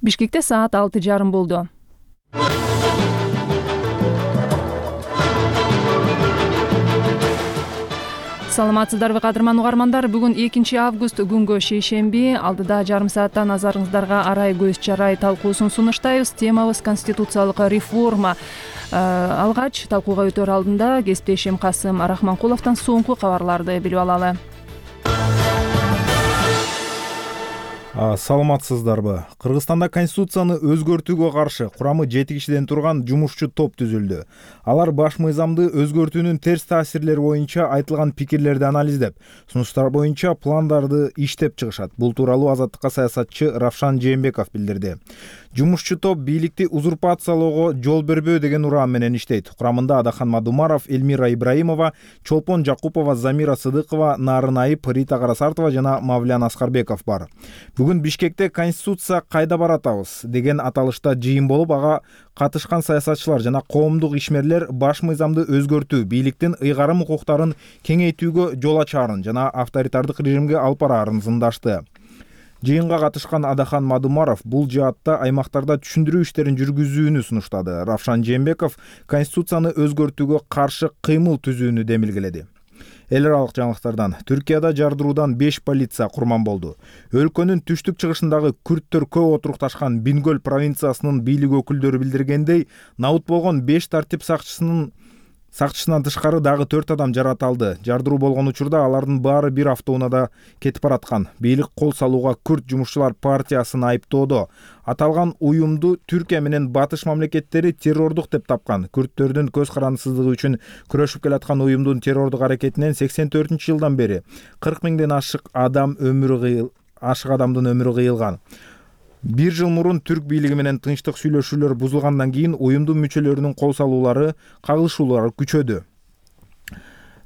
Бишкекте саат 6:30 болду. Саламатсыздарбы кадырман угармандар, бүгүн 2 август күнгө шейшемби. Алдыда жарым сааттан назарыңыздарга арай көз чарай талкуусун сунуштайбыз. Темабыз конституциялык реформа. Алгач талкууга өтөр алдында кесиптешим Касым Рахманкуловдон соңку кабарларды билип алалы. Саламатсыздарбы. Кыргызстанда конституцияны өзгөртүүгө каршы курамы 7 кишиден турган жумушчу топ түзүлдү. Алар баш мыйзамды өзгөртүүнүн терс таасирлери боюнча айтылган пикирлерди анализдеп, сунуштар боюнча пландарды иштеп чыгышат. Бул тууралуу Азаттыкка саясатчы Равшан Жээнбеков билдирди. Жумушчу топ бийликти узурпациялоого жол бербөө деген ураан менен иштейт. Курамында Адахан Мадумаров, Эльмира Ибраимова, Чолпон Жакупова, Замира Сыдыкова, Нарын Айып, Рита Карасартова жана Мавлян Аскарбеков бар. Бүгүн Бишкекте конституция кайда баратабыз деген аталышта жыйын болуп, ага катышкан саясатчылар жана коомдук ишмерлер баш мыйзамды өзгөртүү, бийликтин ыйгарым укуктарын кеңейтүүгө жол ачаарын жана авторитардык режимге алып бараарын зымдашты. Жыйынга катышкан Адахан Мадумаров бул жаатта аймактарда түшүндүрүү иштерин жүргүзүүнү сунуштады. Равшан Жээнбеков конституцияны өзгөртүүгө каршы кыймыл түзүүнү демилгеледи. Эл аралык жаңылыктардан: Түркияда жардыруудан 5 полиция курман болду. Өлкөнүн түштүк чыгышындагы күрттөр көп отурукташкан Бингөл провинциясынын бийлик өкүлдөрү билдиргендей, набыт болгон 5 тартип сакчысынан тышкары дагы 4 адам жараталды. Жардыруу болгон учурда алардын баары бир автоунаада кетип бараткан. Бийлик кол салууга Күрт жумушчулар партиясын айыптоодо. Аталган уюмду Түркия менен Батыш мамлекеттери террордук деп тапкан. Күрттөрдүн көз карандысыздыгы үчүн күрөшүп келаткан уюмдун террордук аракетинен 84-жылдан бери 40 миңден ашык адамдын өмүрү кыйылган. 1 жыл мурун түрк бийлиги менен тынчтык сүйлөшүүлөр бузулгандан кийин уюмдун мүчөлөрүнүн кол салуулары, кагылышуулары күчөдү.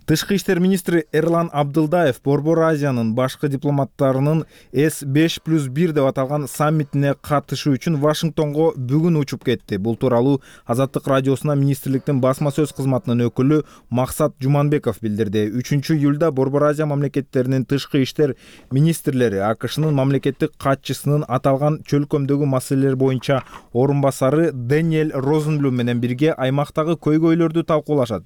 Тышкы иштер министри Эрлан Абдылдаев Борбор Азиянын башкы дипломаттарынын С5+1 деп аталган саммитине катышуу үчүн Вашингтонго бүгүн учуп кетти. Бул тууралуу Азаттык радиосуна министрликтин басма сөз кызматынын өкүлү Максат Жуманбеков билдирди. 3-июлда Борбор Азия мамлекеттеринин тышкы иштер министрлери АКШнын мамлекеттик катчысынын аталган чөлкөмдөгү маселелер боюнча орун басары Дэниэль Розенблюм менен бирге аймактагы көйгөйлөрдү талкуулашат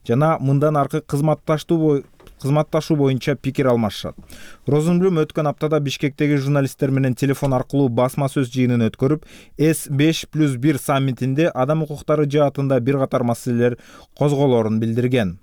жана мындан аркы кызматташуу боюнча пикир алмашышат. Розенблюм өткөн аптада Бишкектеги журналисттер менен телефон аркылуу басма сөз жыйынын өткөрүп, С5+1 саммитинде адам укуктары жаатында бир катар маселелер козголорун билдирген.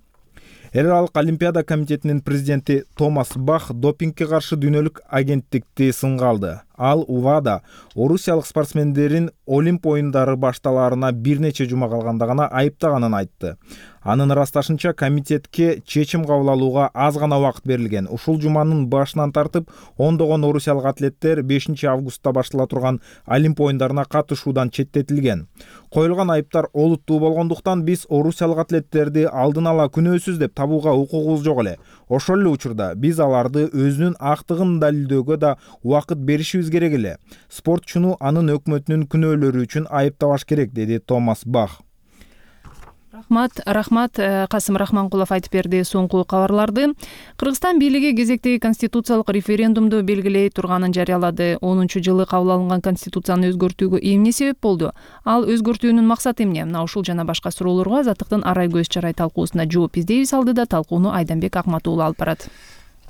Эл аралык Олимпиада комитетинин президенти Томас Бах допингге каршы дүйнөлүк агенттикти сынга алды. Ал УВАда орусиялык спортсмендерин Олимп оюндары башталаарына бир нече жума калганда гана айыптаганын айтты. Анын ырасташынча комитетке чечим кабыл алууга аз гана убакыт берилген. Ушул жуманын башынан тартып ондогон орусиялык атлеттер 5 августта баштала турган Олимп оюндарына катышуудан четтетилген. Коюлган айыптар олуттуу болгондуктан биз орусиялык атлеттерди алдын ала күнөөсүз деп табууга укугубуз жок эле. Ошол эле учурда биз аларды өзүнүн актыгын далилдөөгө да убакыт беришибиз керек эле. Спортчуну анын өкмөтүнүн күнөөлөрү үчүн айыптабаш керек, деди Томас Бах. Рахмат, Касым Рахманкулов айтып берди соңку кабарларды. Кыргызстан бийлиги кезектеги конституциялык референдумду белгилей турганын жарыялады. 10-жылы кабыл алынган конституцияны өзгөртүүгө эмне себеп болду? Ал өзгөртүүнүн максаты эмне? Мына ушул жана башка суроолорго Азаттыктын арай көз чарай талкуусуна жооп издейбиз. Алдыда талкууну Айданбек Акмат уулу алып барат.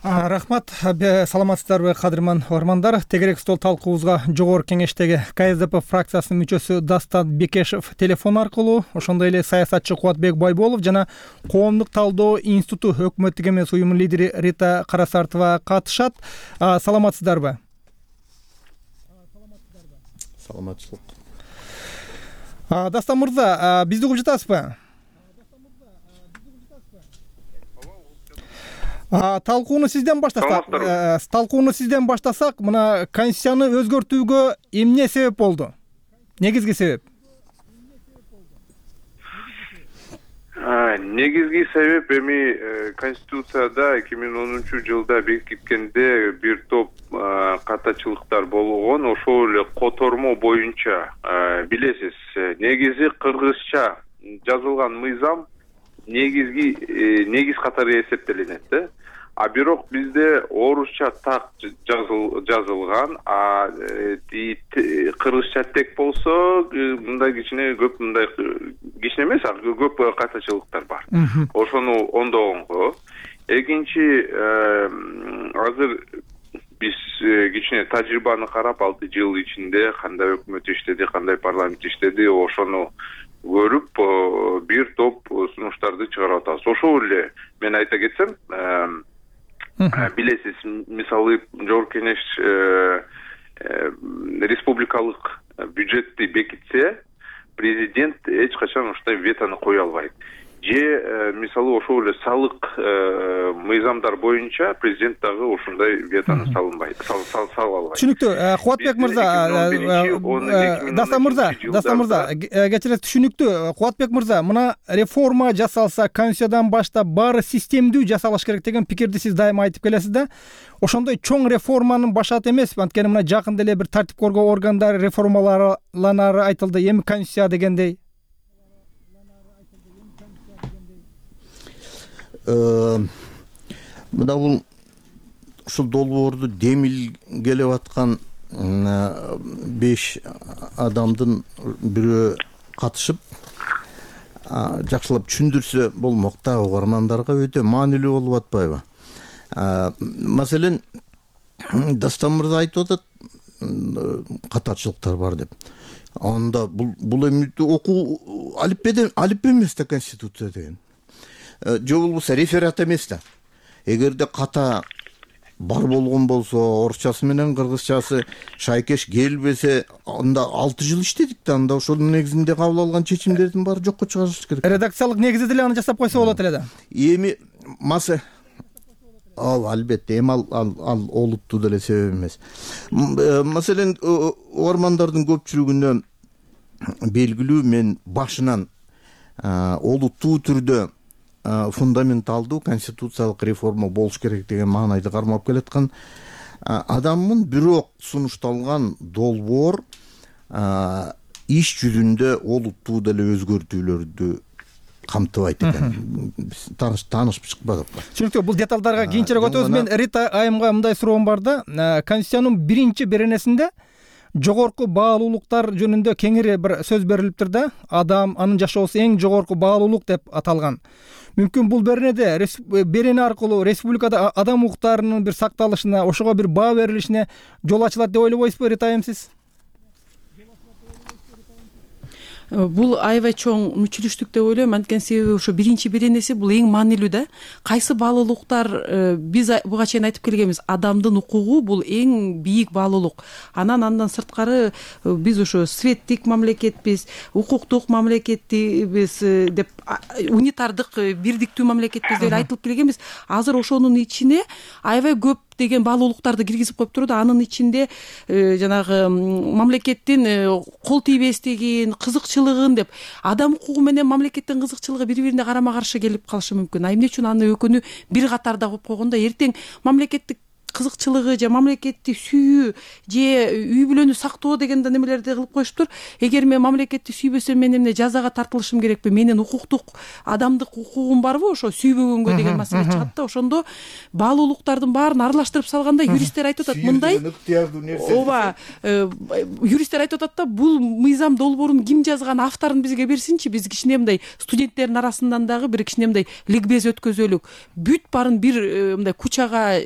Рахмат, саламатсыздарбы кадырман угармандар. Тегерек стол талкуубузга Жогорку Кеңештеги КСДП фракциясынын мүчөсү Дастан Бекешев телефон аркылуу, ошондой эле саясатчы Кубатбек Байболов жана Коомдук талдоо институту өкмөттүк эмес уюмунун лидери Рита Карасартова катышат. Саламатсыздарбы? Саламатчылык. Дастан мырза, бизди угуп жатасызбы? Талкууну сизден баштасак, мына конституцияны өзгөртүүгө эмне себеп болду? Негизги себеп? Негизги себеп эми конституцияда 2010-жылда бекиткенде бир топ катачылыктар болгон. Ошол эле котормо боюнча билесиз, негизи кыргызча жазылган мыйзам негиз катары эсептелинет да. А бирок бизде орусча так жазылган, а кыргызча тек болсо мындай кичине көп, мындай кичине эмес, көп катачылыктар бар. Ошону оңдогонго. Экинчи, азыр биз кичине тажрыйбаны карап, 6 жыл ичинде кандай өкмөт иштеди, кандай парламент иштеди, ошону көрүп бир топ сунуштарды чыгарып атабыз. Ошол эле мен айта кетсем, билесиз, мисалы Жогорку Кеңеш республикалык бюджетти бекитсе, президент эч качан ушундай ветону кое албайт. Же мисалы ошол эле салык мыйзамдар боюнча президент дагы ушундай ветону сала албайт. Түшүнүктүү. Кубатбек мырза, Дастан мырза, кечиресиз, түшүнүктүү. Кубатбек мырза, мына реформа жасалса, конституциядан баштап баары системдүү жасалыш керек деген пикирди сиз дайыма айтып келесиз да. Ошондой чоң реформанын башаты эмеспи? Анткени мына жакында эле бир тартип коргоо органдары реформаланары айтылды. Эми конституция дегендей. Мына бул ушул долбоорду демилгелеп аткан 5 адамдын бирөө катышып жакшылап түшүндүрсө болмок да, угармандарга өтө маанилүү болуп атпайбы? Маселен, Дастан мырза айтып атат, катачылыктар бар деп. Анда бул эми окуу алиппе эмес да конституция деген. Же болбосо реферат эмес да. Эгерде ката бар болгон болсо, орусчасы менен кыргызчасы шайкеш келбесе, анда 6 жыл иштедик да, анда ошонун негизинде кабыл алган чечимдердин баары жокко чыгарылыш керек. Редакциялык негизде деле аны жасап койсо болот эле да. Эми албетте, эми ал олуттуу деле себеп эмес. Маселен, угармандардын көпчүлүгүнө белгилүү, мен башынан олуттуу түрдө фундаменталдуу конституциялык реформа болуш керек деген маанайды кармап келаткан адаммын. Бирок сунушталган долбоор иш жүзүндө олуттуу деле өзгөртүүлөрдү камтыбайт экен. Таанышып чыкпадык. Түшүнүктүү. Бул деталдарга кийинчерээк өтөбүз. Мен Рита айымга мындай суроом бар да. Конституциянын 1-беренесинде жогорку баалуулуктар жөнүндө кеңири бир сөз берилиптир да. Адам, анын жашоосу эң жогорку баалуулук деп аталган. Мүмкүн бул берене аркылуу республикада адам укуктарынын бир сакталышына, ошого бир баа берилишине жол ачылат деп ойлобойсузбу, Рита айым, сиз? Бул аябай чоң мүчүлүштүк деп ойлойм. Анткени себеби ошо 1-беренеси бул эң маанилүү да. Кайсы баалуулуктар биз буга чейин айтып келгенбиз, адамдын укугу бул эң бийик баалуулук. Андан сырткары биз ошо светтик мамлекетпиз, укуктук мамлекетпиз деп, унитардык, бирдиктүү мамлекетпиз деп айтылып келгенбиз. Азыр ошонун ичине аябай көп деген баалуулуктарды киргизип коюптур да. Анын ичинде жанагы мамлекеттин кол тийбестигин, кызыкчылыгын деп, адам укугу менен мамлекеттин кызыкчылыгы бири-бирине карама каршы келип калышы мүмкүн. А эмне үчүн аны экөөнү бир катарда коюп койгондо, эртең мамлекеттик кызыкчылыгы же мамлекетти сүйүү же үй бүлөнү сактоо деген немелерди кылып коюшуптур. Эгер мен мамлекетти сүйбөсөм, мен эмне жазага тартылышым керекпи? Менин укуктук, адамдык укугум барбы ошо сүйбөгөнгө деген маселе чыгат да. Ошондо баалуулуктардын баарын аралаштырып салганда юристтер айтып атат, мындай. Ооба, юристтер айтып атат да, бул мыйзам долбоорун ким жазган, авторун бизге берсинчи, биз кичине мындай студенттердин арасынан дагы бир кичине мындай ликбез өткөзөлүк. Бүт баарын бир мындай кучага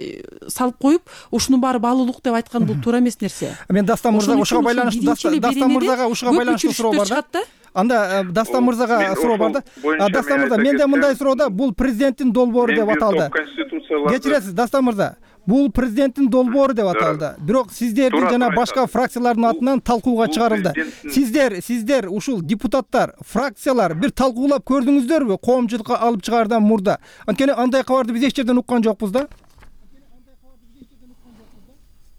салып коюп, ушунун баары баалуулук деп айткан бул туура эмес нерсе. Мен Дастан мырзага ушуга байланыштуу суроо бар да. Анда Дастан мырзага суроо бар да. Дастан мырза, менде мындай суроо да, бул президенттин долбоору деп аталды. Кечиресиз, Дастан мырза, бул президенттин долбоору деп аталды. Бирок сиздердин жана башка фракциялардын атынан талкууга чыгарылды. Сиздер ушул депутаттар, фракциялар бир талкуулап көрдүңүздөрбү коомчулукка алып чыгаардан мурда? Анткени андай кабарды биз эч жерден уккан жокпуз да.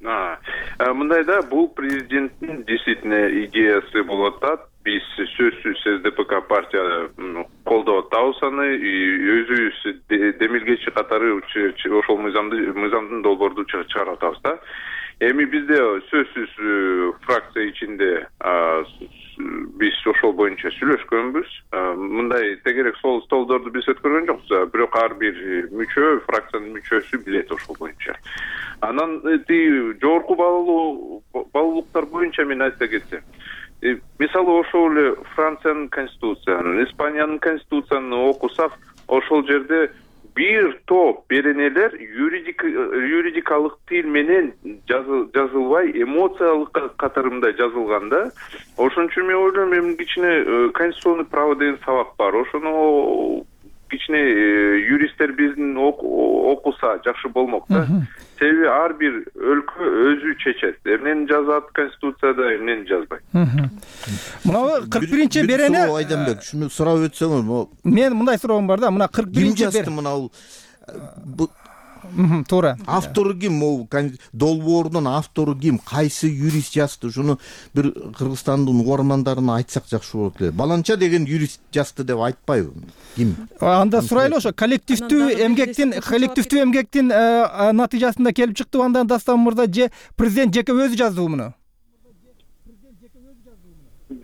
Мындай да, бул президенттин действительно идеясы болуп атат. Биз сөзсүз СДПК партия колдоп атабыз аны, өзүбүз демилгечи катары ошол мыйзамдын долбоорду чыгарып атабыз да. Эми бизде сөзсүз фракция ичинде биз ошол боюнча сүйлөшкөнбүз. Мындай тегерек столдо жолдорду биз өткөргөн жокпуз, бирок ар бир мүчө, фракциянын мүчөсү билет ошол боюнча. Анан жогорку баалуулуктар боюнча мен айта кетсем, мисалы ошол эле Франциянын конституциясын, Испаниянын конституциясын окусак, ошол жерде бир топ беренелер юридикалык тил менен жазылбай, эмоциялык катарымда жазылган да. Ошон үчүн мен ойлойм, эми кичине конституционный право деген сабак бар. Ошону кичине юристтер биздин окуса жакшы болмок да. Себеби ар бир өлкө өзү чечет. Эмнени жазат конституцияда, эмнени жазбайт. Мына 41-чи берене Айданбек, ушуну сурап өтсөңүз. Мен мындай суроом бар да, мына 41-чи жазды мына бул туура. Автору ким? Могу долбоордун автору ким? Кайсы юрист жазды? Ушуну бир Кыргызстандын угармандарына айтсак жакшы болот эле. Баланча деген юрист жазды деп айтпайбы? Ким? Анда сурайлы ошо коллективдүү эмгектин натыйжасында келип чыктыбы, андан Дастан мырза же президент жеке өзү жаздыбы муну?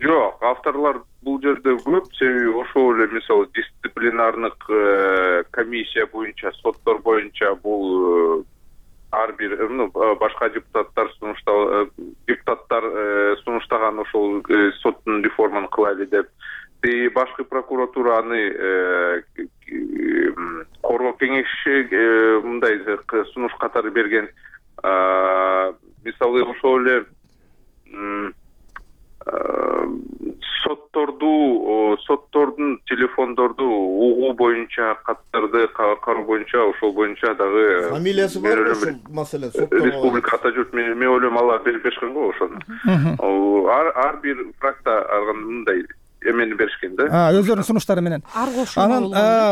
Жок, авторлор бул жерде көп, себеби ошол эле мисалы дисциплинардык комиссия боюнча, соттор боюнча бул ар бир башка депутаттар сунуштаган ошол соттун реформаны кылайлы деп, башкы прокуратура аны коргоо кеңеши мындай сунуш катары берген. Мисалы ошол эле соттордун телефондорду угуу боюнча, каттарды кароо боюнча, ошол боюнча дагы фамилиясы бар ошол маселе соттор республика ата журт, мен ойлойм алар берип беришкен го ошону. Ар бир фракция мындай эмени беришкен да. Өздөрүнүн сунуштары менен. Анан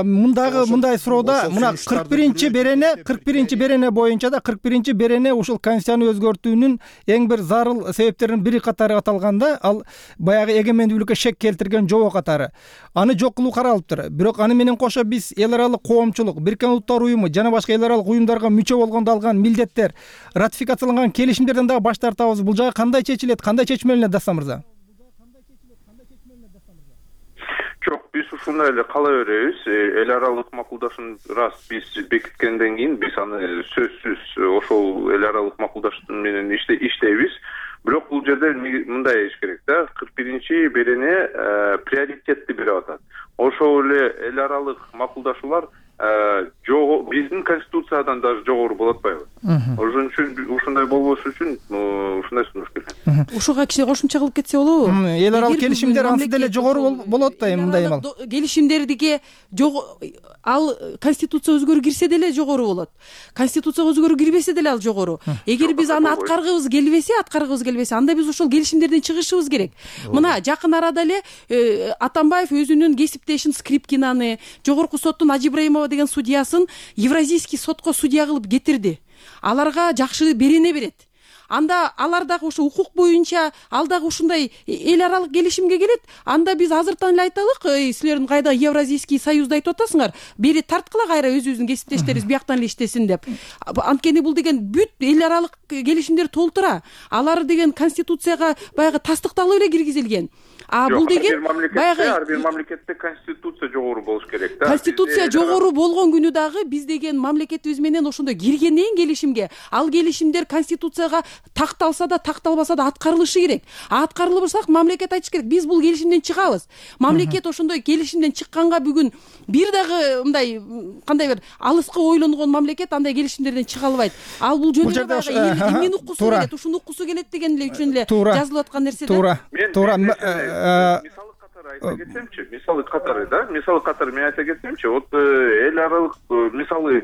мындагы суроодо мына 41-чи берене боюнча да 41-чи берене ушул конституцияны өзгөртүүнүн эң бир зарыл себептеринин бири катары аталганда, ал баягы эгемендүүлүккө шек келтирген жобо катары. Аны жок кылуу каралыптыр. Бирок аны менен кошо биз эл аралык коомчулук, Бириккен Улуттар уюму жана башка эл аралык уюмдарга мүчө болгондо алган милдеттер, ратификацияланган келишимдерден дагы баш тартабыз. Бул жагы кандай чечилет, кандай чечмелинет Дастан мырза? Жок, биз ушундай эле кала беребиз. Эл аралык макулдашууну раз биз бекиткенден кийин биз аны сөзсүз ошол эл аралык макулдашуу менен иштейбиз. Бирок бул жерде мындай эш керек да, 41-чи берене приоритетти берип атат. Ошол эле эл аралык макулдашуулар биздин конституциядан даже жогору болот атпайбы? Ошон үчүн ушундай болбошу үчүн ушундай сунуш керек. Ушуга кичине кошумча кылып кетсе болобу? Эл аралык келишимдер ансыз деле жогору болот да, мындай эмал. Келишимдердиги ал конституция өзгөрүү кирсе деле жогору болот. Конституция өзгөрүү кирбесе деле ал жогору. Эгер биз аны аткаргыбыз келбесе, анда биз ошол келишимдерден чыгышыбыз керек. Мына жакын арада эле Атамбаев өзүнүн кесиптешин Скрипкинаны, жогорку соттун Ажи Ибраимова деген судьясын Евразийский сотко судья кылып кетирди. Аларга жакшы берене берет. Анда алар дагы ошо укук боюнча ал дагы ушундай эл аралык келишимге келет. Анда биз азыртан эле айталык, силердин кайда Евразийский союзду айтып атасыңар, бери тарткыла кайра өзүбүздүн кесиптештерибиз бияктан эле иштесин деп. Анткени бул деген бүт эл аралык келишимдер толтура. Алар деген конституцияга баягы тастыкталып эле киргизилген. Бул деген баягы ар бир мамлекетте конституция жогору болуш керек да. Конституция жогору болгон күнү дагы биз деген мамлекетибиз менен ошондой киргенден келишимге, ал келишимдер конституцияга такталса да такталбаса да аткарылышы керек. Аткарылбасак мамлекет айтыш керек, биз бул келишимден чыгабыз. Мамлекет ошондой келишимден чыкканга бүгүн бир дагы мындай кандай бир алыска ойлонгон мамлекет андай келишимдерден чыга албайт. Ал бул жөнүндө баягы эмнени уккусу келет, ушуну уккусу келет деген эле үчүн эле жазылып аткан нерсе да. Туура. Мисалы катары мен айта кетсемчи, вот эл аралык мисалы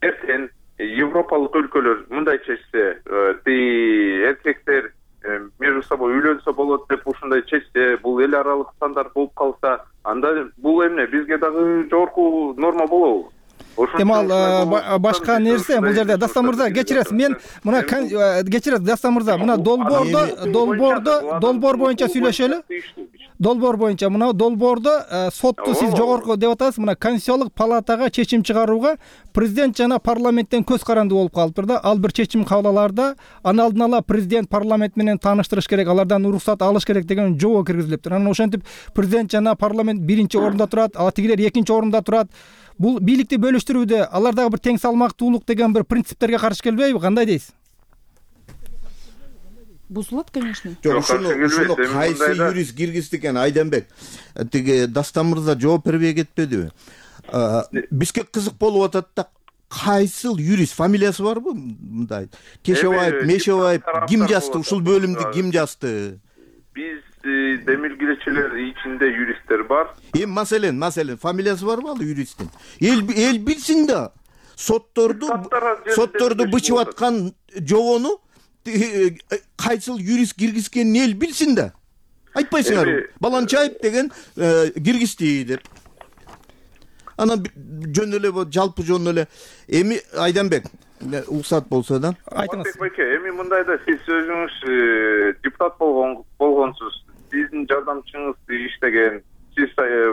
эртең европалык өлкөлөр мындай чечсе, эркектер между собой үйлөнсө болот деп ушундай чечсе, бул эл аралык стандарт болуп калса, анда бул эмне бизге дагы жогорку норма болобу? Эмал башка нерсе бул жерде. Дастан мырза, кечиресиз, мен мына кечиресиз Дастан мырза, мына долбоор боюнча сүйлөшөлү. долбоор боюнча мына долбоордо сотту сиз жогорку деп атасыз, мына Конституциялык палатага чечим чыгарууга президент жана парламенттен көз каранды болуп калыптыр да. Ал бир чечим кабыл алаарда аны алдын ала президент парламент менен тааныштырыш керек, алардан уруксат алыш керек деген жобо киргизилиптир. Анан ошентип президент жана парламент биринчи орунда турат, а тигилер экинчи орунда турат. Бул бийликти бөлүштүрүүдө алар дагы бир тең салмактуулук деген бир принциптерге каршы келбейби? Кандай дейсиз? Бузулат, конечно. Жок, ушуну кайсы юрист киргизди экен, Айданбек? Тиги Дастан мырза жооп бербей кетпедиби? Бизге кызык болуп атат да, кайсыл юрист, фамилиясы барбы? Мындай Кешебаев, Мешебаев ким жазды? Ушул бөлүмдү ким жазды? Биз демилгелечилер ичинде юристтер бар. Маселен фамилиясы барбы ал юристтин? Эл билсин да. Сотторду бычып аткан жобону кайсыл юрист киргизгенин эл билсин да. Айтпайсыңарбы? Баланчаев деген киргизди деп. Анан жөн эле жалпы жөн эле. Эми Айданбек, уруксат болсо да. Айтыңыз. Эми мындай да, сиз өзүңүз депутат болгонсуз. Сиздин жардамчыңыз иштеген. Сиз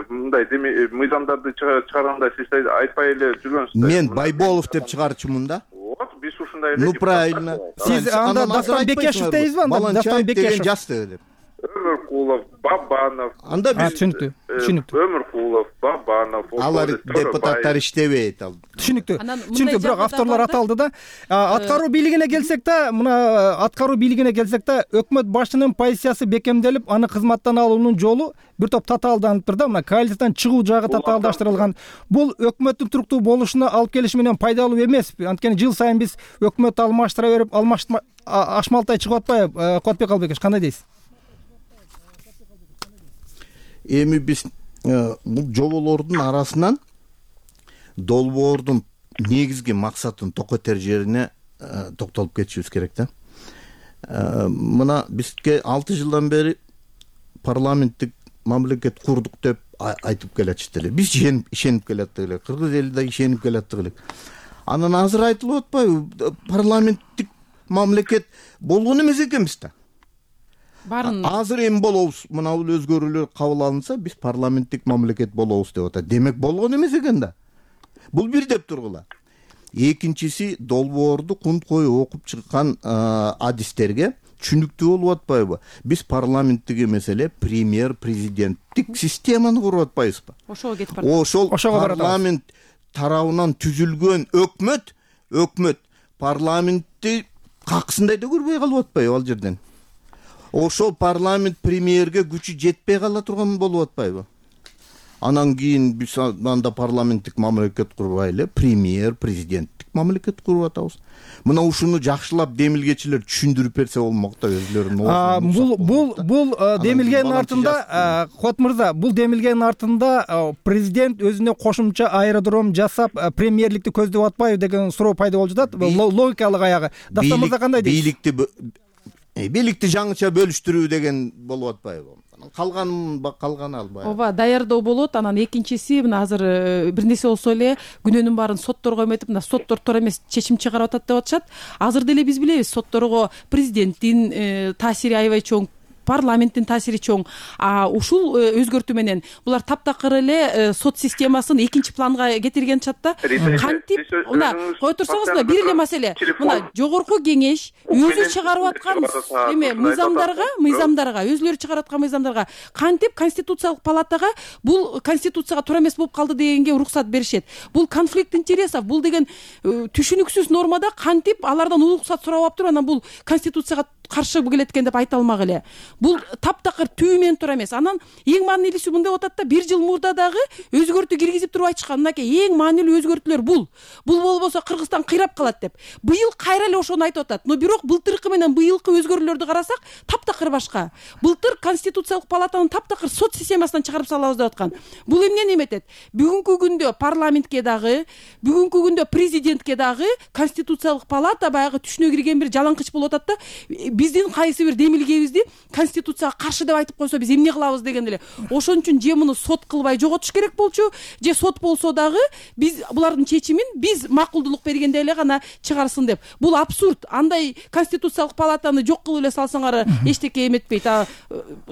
мындай мыйзамдарды чыгарганда сиз айтпай эле жүргөнсүз. Мен Байболов деп чыгарчумун да. Вот, биз ушундай эле. Ну правильно. Сиз анда Дастан Бекешев дейсизби? Анда Дастан Бекешев жазды деп. Өмүркулов, Бабанов. Анда биз түшүнүктүү. Өмүркулов, Бабанов. Алар депутаттар иштебейт ал. Түшүнүктүү, бирок авторлор аталды да. Аткаруу бийлигине келсек да, мына аткаруу бийлигине келсек да, өкмөт башчынын позициясы бекемделип, аны кызматтан алуунун жолу бир топ татаалданыптыр да. Мына коалициядан чыгуу жагы татаалдаштырылган. Бул өкмөттүн туруктуу болушуна алып келиши менен пайдалуу эмеспи? Анткени жыл сайын биз өкмөттү алмаштыра берип, ашмалтай чыгып атпайбы? Кубатбек Албеков, кандай дейсиз? Эми биз бул жоболордун арасынан долбоордун негизги максатын токотер жерине токтолуп кетишибиз керек да. Мына бизге 6 жылдан бери парламенттик мамлекет курдук деп айтып келатышты эле. Биз ишенип келаттык эле. Кыргыз эли да ишенип келаттык эле. Анан азыр айтылып атпайбы? Парламенттик мамлекет болгон эмес экенбиз да. Барын Азыр эми болобуз, мына бул өзгөрүүлөр кабыл алынса, биз парламенттик мамлекет болобуз деп атат. Демек болгон эмес экен да. Бул бир деп тургула. Экинчиси, долбоорду кунт коюп окуп чыккан адистерге түшүнүктүү болуп атпайбы? Биз парламенттик эмес эле премьер президенттик системаны куруп атпайбызбы? ошого кетип барат. Ошол парламент тарабынан түзүлгөн өкмөт парламентти каксындай да көрбөй калып атпайбы ал жерден? Ошол парламент премьерге күчү жетпей кала турган болуп атпайбы? Анан кийин биз анда парламенттик мамлекет курбай эле премьер президенттик мамлекет куруп атабыз. Мына ушуну жакшылап демилгечилер түшүндүрүп берсе болмок да өзлөрүнүн. Бул демилгенин артында, Кот мырза, бул демилгенин артында президент өзүнө кошумча аэродром жасап премьерликти көздөп атпайбы деген суроо пайда болуп жатат. Логикалык аягы. Дастан мырза кандай дейсиз? Бийликти жаңыча бөлүштүрүү деген болуп атпайбы? Калган албай. Ооба, даярдоо болот. Анан экинчиси, мына азыр бир нерсе болсо эле күнөөнүн баарын сотторго эметип, мына соттор туура эмес чечим чыгарып атат деп атышат. Азыр деле биз билебиз, сотторго президенттин таасири аябай чоң, парламенттин таасири чоң. Ушул өзгөртүү менен булар таптакыр эле сот системасын экинчи планга кетирген чатта. Кантип, мына кое турсаңыз, бир эле маселе. Мына жогорку кеңеш өзү чыгарып аткан мыйзамдарга, өзүлөрү чыгарып аткан мыйзамдарга кантип конституциялык палатага бул конституцияга туура эмес болуп калды дегенге уруксат беришет. Бул конфликт интересов, бул деген түшүнүксүз нормада кантип алардан уруксат сурап алып туруп, анан бул конституцияга каршы келет экен деп айта алмак эле. Бул таптакыр түбү менен туура эмес. Анан эң маанилүүсү мындай атат да, бир жыл мурда дагы өзгөртүү киргизип туруп айтышкан. Мынакей эң маанилүү өзгөртүүлөр бул. Бул болбосо Кыргызстан кыйрап калат деп. Быйыл кайра эле ошону айтып атат. Но бирок былтыркы менен быйылкы өзгөрүүлөрдү карасак, таптакыр башка. Былтыр конституциялык палатанын таптакыр сот системасынан чыгарып салабыз деп аткан. Бул эмнени эметет? Бүгүнкү күндө парламентке дагы, бүгүнкү күндө президентке дагы конституциялык палата баягы түшүнө кирген бир жалаңкыч болуп атат да. биздин кайсы бир демилгебизди конституцияга каршы деп айтып койсо биз эмне кылабыз деген эле. Ошон үчүн же муну сот кылбай жоготуш керек болчу, же сот болсо дагы биз булардын чечимин биз макулдулук бергенде эле гана чыгарсын деп. Бул абсурд. Андай конституциялык палатаны жок кылып эле салсаңар эчтеке эметпейт.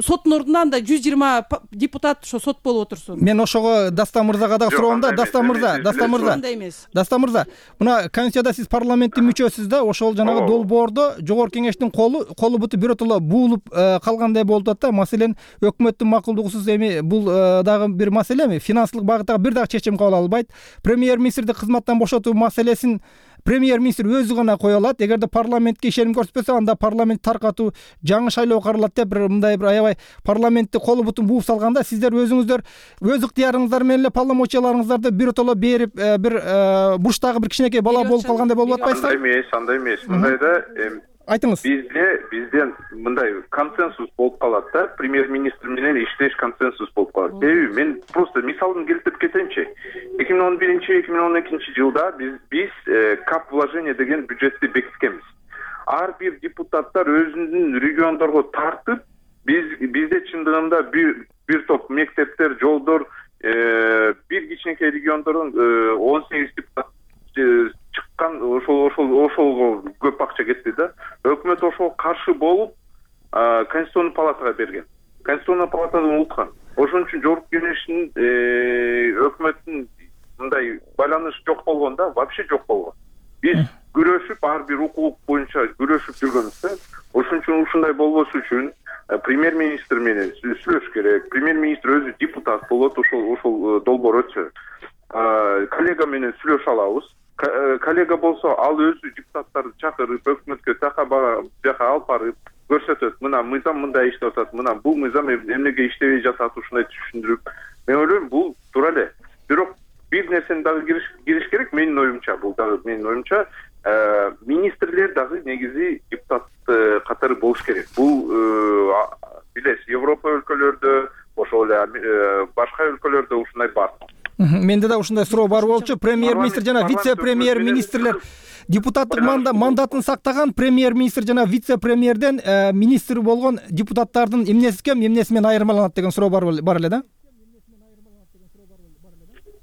Соттун ордуна анда 120 депутат ошо сот болуп отурсун. Мен ошого Дастан мырзага дагы суроом да. Дастан мырза, мына конституцияда сиз парламенттин мүчөсүз да, ошол жанагы долбоордо жогорку кеңештин колу буту биротоло буулуп калгандай болуп атат да. Маселен, өкмөттүн макулдугусуз эми бул дагы бир маселеми, финансылык багыттагы бир дагы чечим кабыл алынбайт. Премьер-министрди кызматтан бошотуу маселесин премьер-министр өзү гана кое алат. Эгерде парламентке ишеним көрсөтпөсө, анда парламент таркатуу, жаңы шайлоо каралат деп мындай бир аябай парламентти колу бутун бууп салганда, сиздер өзүңүздөр өз ыктыярыңыздар менен эле полномочияларыңыздарды биротоло берип, бир бурчтагы бир кичинекей бала болуп калгандай болуп атпайсызбы? Андай эмес. Мындайда айтыңыз. Бизден мындай консенсус болуп калат да, премьер-министр менен иштеш консенсус болуп калат. Себеби мен просто мисалын келтирип кетейинчи. 2011-2012 жылда биз кап вложение деген бюджетти бекиткенбиз. Ар бир депутаттар өзүнүн региондорго тартып, бизде чындыгында бир топ мектептер, жолдор, бир кичинекей региондордон 18 депутат чыккан, ошолго көп акча кетти да. Өкмөт ошого каршы болуп, Конституционный палатага берген. Конституционный палатадан унуткан. Ошон үчүн жогорку кеңештин өкмөттүн мындай байланыш жок болгон да, вообще жок болгон. Биз күрөшүп, ар бир укук боюнча күрөшүп жүргөнбүз да. Ошон үчүн ушундай болбош үчүн премьер-министр менен сүйлөш керек. Премьер-министр өзү депутат болот, ошол долбоор өтсө. Коллега менен сүйлөшө алабыз. Коллега болсо, ал өзү депутаттарды чакырып, өкмөткө жака алып барып көрсөтөт. Мына мыйзам мындай иштеп атат, мына бул мыйзам эмнеге иштебей жатат, ушундай түшүндүрүп. Мен ойлойм, бул туура эле. Бирок бир нерсени дагы кириш керек, менин оюмча, министрлер дагы негизи депутат катары болуш керек. Бул билесиз, Европа өлкөлөрдө, ошол эле башка өлкөлөрдө ушундай бар. Менде да ушундай суроо бар болчу. Премьер-министр жана вице-премьер-министрлер депутаттык мандатын сактаган, премьер-министр жана вице-премьерден министр болгон депутаттардын эмнеси кем, эмнеси менен айырмаланат деген суроо бар эле да.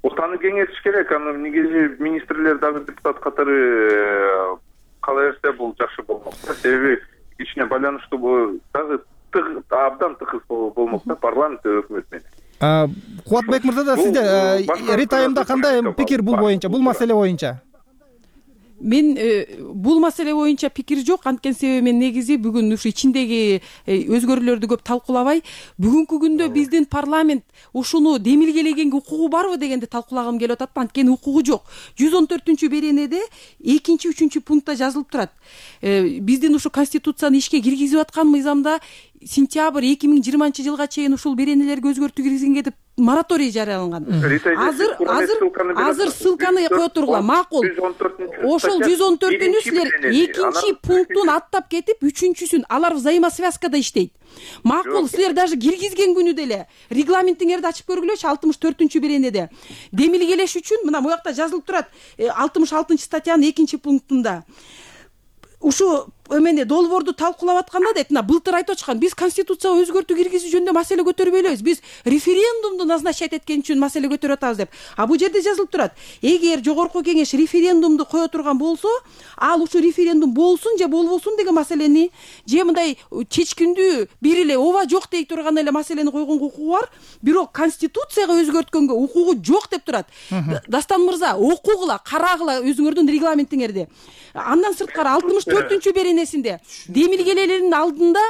Ортаны кеңейтиш керек. Аны негизи министрлер дагы депутат катары кала берсе бул жакшы болмок. Себеби кичине байланыштуу дагы абдан тыгыз болмок да парламент өкмөт менен. Кубатбек мырза да сизде ритайымда кандай пикир бул боюнча, бул маселе боюнча? Мен бул маселе боюнча пикир жок. Анткени себеби мен негизи бүгүн ушу ичиндеги өзгөрүүлөрдү көп талкуулабай, бүгүнкү күндө биздин парламент ушуну демилгелегенге укугу барбы дегенди талкуулагым келип атат. Анткени укугу жок. 114 беренеде 2-3 пунктта жазылып турат. Биздин ушу конституцияны ишке киргизип аткан мыйзамда сентябрь 2020 жылга чейин ушул беренелерге өзгөртүү киргизгенге деп мораторий жарыяланган. Азыр ссылканы кое тургула, макул. Ошол 114-үн силер 2 пунктун аттап кетип, 3-сүн алар взаимосвязкада иштейт. Макул, силер даже киргизген күнү деле регламентиңерди ачып көргүлөчү 64 беренеде. Демилгелеш үчүн мына бу жакта жазылып турат 66 статьянын 2 пунктунда. Ушу эмне долбоорду талкуулап атканда дейт, мына былтыр айтып атышкан, биз конституцияга өзгөртүү киргизүү жөнүндө маселе көтөрбөйлөбүз. Биз референдумду назначать эткен үчүн маселе көтөрүп атабыз деп. Бул жерде жазылып турат. Эгер жогорку кеңеш референдумду кое турган болсо, ал ушу референдум болсун же болбосун деген маселени, же мындай чечкиндүү бир эле ооба жок дей турган эле маселени койгонго укугу бар, бирок конституцияга өзгөрткөнгө укугу жок деп турат. Дастан мырза, окугула, карагыла өзүңөрдүн регламентиңерди. Андан сырткары 64 беренесинде демилгелердин алдында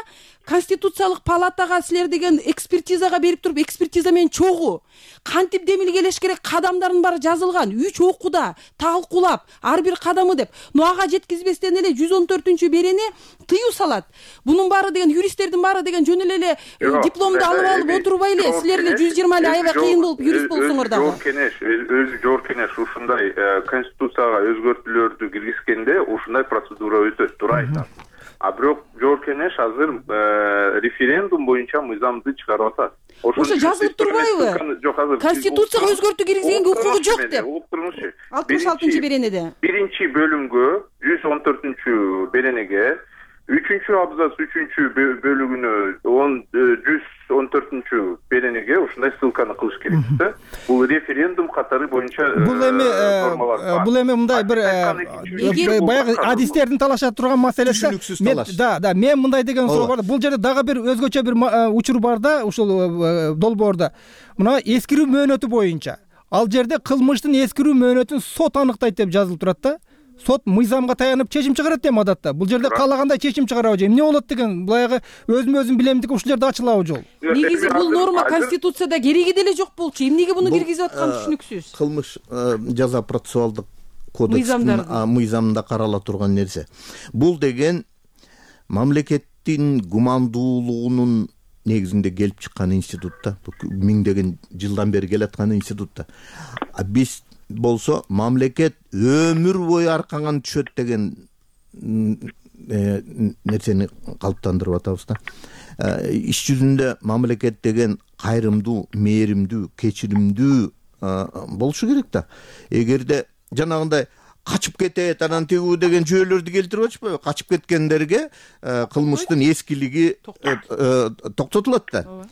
конституциялык палатага силер деген экспертизага берип туруп, экспертиза менен чогуу кантип демилгелеш керек кадамдардын баары жазылган. 3 окууда талкуулап ар бир кадамы деп. Но ага жеткизбестен эле 114 берене тыюу салат. Бунун баары деген юристтердин баары деген жөн эле дипломду алып отурбай эле силер эле 120 эле аябай кыйын болуп юрист болсоңор дагы. Жогорку кеңеш ушундай конституцияга өзгөртүүлөрдү киргизгенде ушундай процедура өтөт, туура айтат. Бирок жогорку кеңеш азыр референдум боюнча мыйзамды чыгарып атат. Ошо жазылып турбайбы? Конституцияга өзгөртүү киргизгенге укугу жок деп. 66 беренеде. Биринчи бөлүмгө 114 беренеге 3 абзац 3 бөлүгүнө 114 беренеге ушундай ссылканы кылыш керек да. Бул референдум катары боюнча бул эми мындай бир баягы адистердин талаша турган маселеси. Түшүнүксүз талаш. Да, мен мындай деген суроо бар. Бул жерде дагы бир өзгөчө бир учур бар да, ушул долбоордо. Мына эскирүү мөөнөтү боюнча ал жерде кылмыштын эскирүү мөөнөтүн сот аныктайт деп жазылып турат да. Сот мыйзамга таянып чечим чыгарат эми адатта. Бул жерде каалагандай чечим чыгарабы же эмне болот деген баягы өзүм билемдик ушул жерде ачылабы жол. Негизи бул норма Конституцияда кереги деле жок болчу. Эмнеге буну киргизип атканы түшүнүксүз. Кылмыш жаза процессуалдык кодекстин мыйзамында карала турган нерсе. Бул деген мамлекеттин гумандуулугунун негизинде келип чыккан институт да. Миңдеген жылдан бери келаткан институт да. Биз болсо мамлекет өмүр бою аркаңан түшөт деген нерсени калыптандырып атабыз да. Иш жүзүндө мамлекет деген кайрымдуу, мээримдүү, кечиримдүү болушу керек да. Эгерде жанагындай качып кетет, анан тигүү деген жүйөлөрдү келтирип атышпайбы? Качып кеткендерге кылмыштын эскилиги токтотулат да.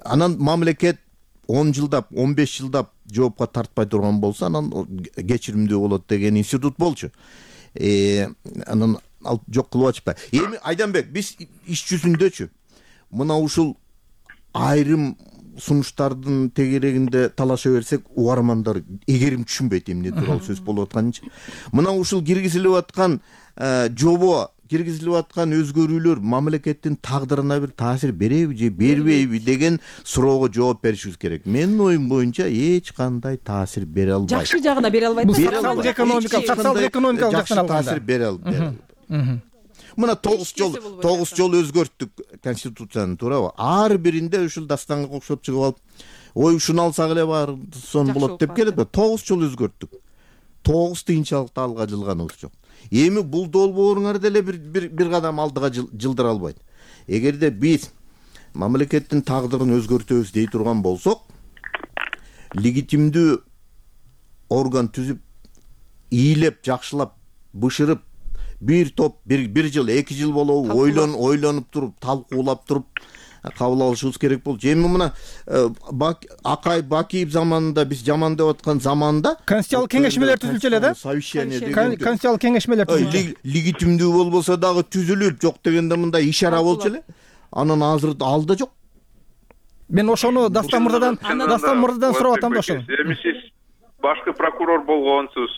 Анан мамлекет 10 жылдап, 15 жылдап жоопко тартпай турган болсо, анан кечиримдүү болот деген институт болчу. Анан ал жок кылып атышпай. Эми Айданбек, биз иш жүзүндөчү мына ушул айрым сунуштардын тегерегинде талаша берсек, угармандар эгерим түшүнбөйт эмне тууралуу сөз болуп атканынчы. Мына ушул киргизилип аткан жобо, киргизилип аткан өзгөрүүлөр мамлекеттин тагдырына бир таасир береби же бербейби деген суроого жооп беришибиз керек. Менин оюм боюнча эч кандай таасир бере албайт. Жакшы жагына бере албайт. Социалдык экономикалык жактан алганда таасир бере албайт. Мына 9 жол өзгөрттүк Конституцияны, туурабы? Ар биринде ушул дастанга окшоп чыгып алып, ой ушуну алсак эле баары сон болот деп келет. 9 жол өзгөрттүк. 9 кыйынчылыкты алга жылганыбыз жок. Эми бул долбооруңар деле бир кадам алдыга жылдыра албайт. Эгерде биз мамлекеттин тагдырын өзгөртөбүз дей турган болсок, легитимдүү орган түзүп, ийилеп, жакшылап, бышырып, бир топ, бир жыл, 2 жыл болобу ойлонуп туруп, талкуулап туруп кабыл алышыбыз керек болчу. Эми мына Акай Бакиев заманында биз жаман деп аткан заманда конституциялык кеңешмелер түзүлчү эле да. Совещание деген конституциялык кеңешмелер түзүлчү. Легитимдүү болбосо дагы түзүлүп, жок дегенде мындай ишара болчу эле. Анан азыр алда жок. Мен ошону Дастан мырзадан сурап атам да ошону. Эми сиз башкы прокурор болгонсуз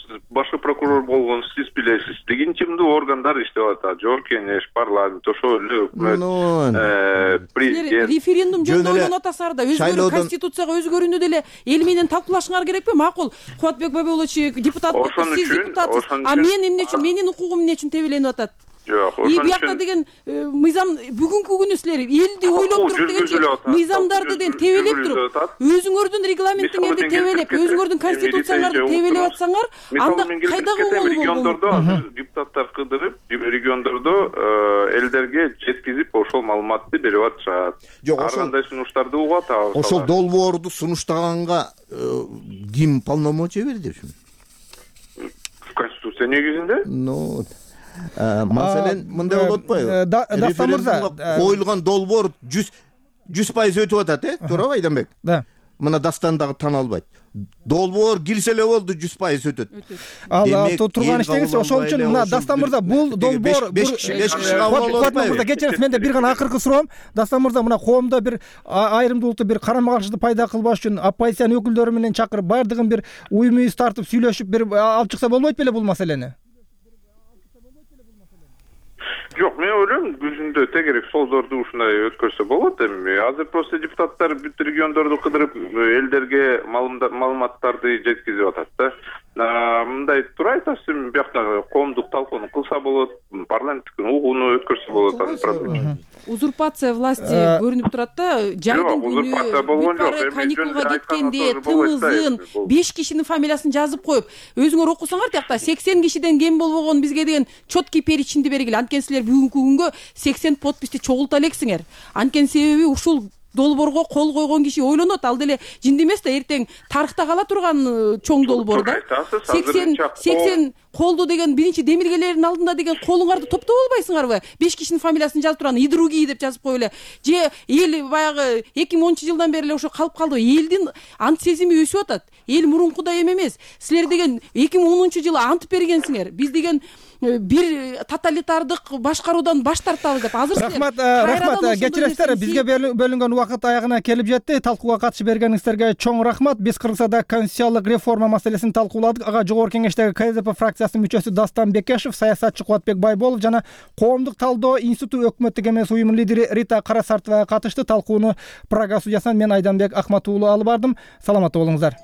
сиз билесиз. Легитимдүү органдар иштеп атат. Жогорку кеңеш, парламент, ошол эле өкмөт, президент. Референдум жөнүндө ойлонуп атасыңар да, Конституцияга өзгөрүүнү деле эл менен талкуулашыңар керекпи? Макул. Кубатбек Бабелович депутат, сиз депутатсыз. А мен эмне үчүн, менин укугум эмне үчүн тебеленип атат? Жок, ошон үчүн деген мыйзам бүгүнкү күнү силер элди ойлоп туруп дегенче мыйзамдарды деген тебелеп туруп, өзүңөрдүн регламентиңерди тебелеп, өзүңөрдүн конституцияңарды тебелеп атсаңар, анда кайдагы региондордо депутаттар кыдырып, региондордо элдерге жеткизип ошол маалыматты берип атышат. Ар кандай сунуштарды угуп атабыз. Ошол долбоорду сунуштаганга ким полномочия берди ушуну? Конституция негизинде? Маселен, мындай болуп атпайбы? Дастан мырза, коюлган долбоор 100% өтүп атат, туурабы Айданбек? Да. Мына Дастан дагы тана албайт. Долбоор кирсе эле болду, 100% өтөт. Ал турган иштеңиз ошол үчүн мына Дастан мырза, бул долбоор 5 киши кабыл албайбы? Кечириңиз, менде бир гана акыркы суроом. Дастан мырза, мына коомдо бир айрымдуулукту, бир карама-каршылыкты пайда кылбаш үчүн оппозициянын өкүлдөрү менен чакырып, баардыгын бир уюм-уюз тартып, сүйлөшүп, бир алып чыкса болбойт беле бул маселени? Жок, мен ойлойм, жүзүндө тегерек солдорду ушундай өткөрсө болот. Эми азыр просто депутаттар бүт региондорду кыдырып, элдерге маалыматтарды жеткизип атат да. Мындай туура айтасыз, биякта коомдук талкууну кылса болот, парламенттик угууну өткөрсө болот. Узурпация власти көрүнүп турат да, жайдын күнү каникулга кеткенде тымызын 5 кишинин фамилиясын жазып коюп, өзүңөр окусаңар тиякта 80 кишиден кем болбогон бизге деген четкий перечинди бергиле. Анткени силер бүгүнкү күнгө 80 подписти чогулта элексиңер. Анткени себеби ушул долбоорго кол койгон киши ойлонот, ал деле жинди эмес да, эртең тарыхта кала турган чоң долбоор да. 80 колду деген биринчи демиргелердин алдында деген колуңарды топтоп албайсыңарбы? 5 кишинин фамилиясын жазып турган, и другие деп жазып коюп эле. Же эл баягы 2010 жылдан бери эле ошо калып калды. Элдин ант сезими өсүп атат. Эл мурункудай эмес. Силер деген 2010 жылы ант бергенсиңер. Биз деген бир тоталитардык башкаруудан баш тартабыз деп. Азыр рахмат, кечиресиздер, бизге бөлүнгөн убакыт аягына келип жетти. Талкууга катышып бергениңиздерге чоң рахмат. Биз Кыргызстанда конституциялык реформа маселесин талкууладык. Ага жогорку кеңештеги КСДП фракциясынын мүчөсү Дастан Бекешев, саясатчы Кубатбек Байболов жана Коомдук талдоо институту өкмөттүк эмес уюмунун лидери Рита Карасартова катышты. Талкууну Прага студиясынан мен Айданбек Акматуулу алып бардым. Саламатта болуңуздар.